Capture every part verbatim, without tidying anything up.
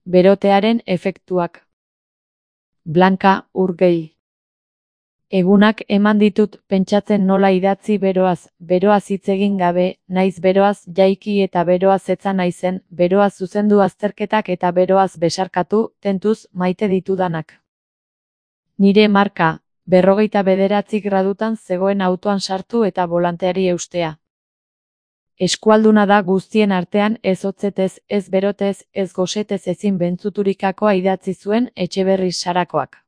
Berotearen efektuak. Blanka Urgell. Egunak eman ditut pentsatzen nola idatzi beroaz, beroaz hitz egin gabe, naiz beroaz jaiki eta beroaz etza naizen, beroaz zuzendu azterketak eta beroaz besarkatu, tentuz, maite ditudanak. Nire marka, berrogeita bederatzi gradutan zegoen autoan sartu eta bolanteari eustea. Eskualduna da guztien artean ez hotzetez, ez berotez, ez gosetez ezin bentzuturikakoa idatzi zuen Etxeberri Sarakoak.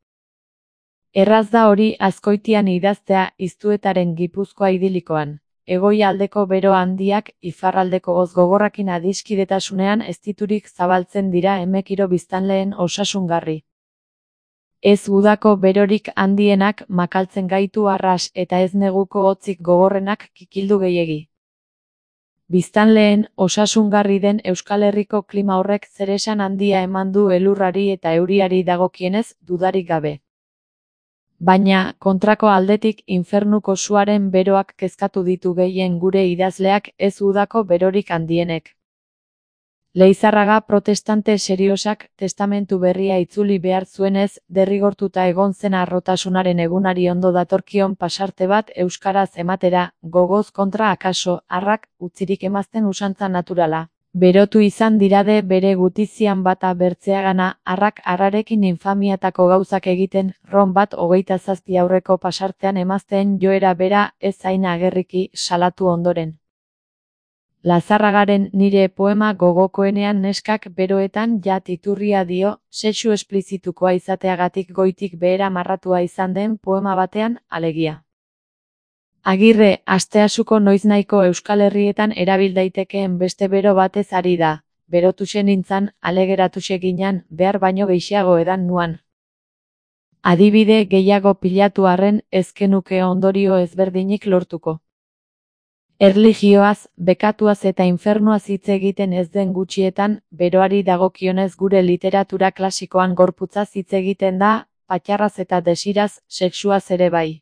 Erraz da hori Azkoitian idaztea Iztuetaren Gipuzkoa idilikoan. Hegoaldeko bero handiak iparraldeko hotz gogorrakin adiskidetasunean eztiturik zabaltzen dira Emekiro biztanleen osasungarri. Ez udako berorik handienak makaltzen gaitu arras eta ez neguko hotzik gogorrenak kikildu gehiegi. Biztanleen osasungarri den Euskal Herriko klima horrek zeresan handia eman du elurrari eta euriari dagokienez dudarik gabe. Baina, kontrako aldetik infernuko suaren beroak kezkatu ditu gehien gure idazleak ez udako berorik handienek. Leizarraga protestante seriosak testamentu berria itzuli behar zuenez, derrigortuta egon zen harrotasunaren egunari ondo datorkion pasarte bat euskaraz ematera, gogoz kontra akaso, harrak, utzirik emazten usantza naturala. Berotu izan dirade bere gutizian bata bertzeagana, harrak harrarekin infamiatako gauzak egiten, ron bat hogeita zazpi aurreko pasartean emazteen joera bera ez zain agerriki salatu ondoren. Lazarragaren nire poema gogokoenean neskak beroetan jat iturria dio, sexu esplizitukoa izateagatik goitik behera marratua izan den poema batean, alegia. Agirre, asteasuko noiznahiko Euskal Herrietan erabil daitekeen beste bero batez ari da, berotuse nintzan, alegeratuse ginan, behar baino gehiago edan nuan. Adibide gehiago pilatu arren ezkenuke ondorio ezberdinik lortuko. Erlijioaz, bekatuaz eta infernuaz hitz egiten ez den gutxietan, beroari dagokionez gure literatura klasikoan gorputzaz hitz egiten da, patxarraz eta desiraz, sexuaz ere bai.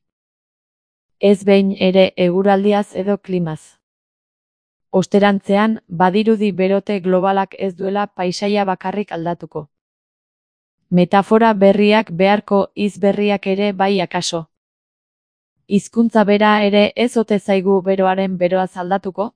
Ez behin ere eguraldiaz edo klimaz. Osterantzean, badirudi berote globalak ez duela paisaia bakarrik aldatuko. Metafora berriak beharko hitz berriak ere bai akaso. Hizkuntza bera ere ez ote zaigu beroaren beroaz aldatuko?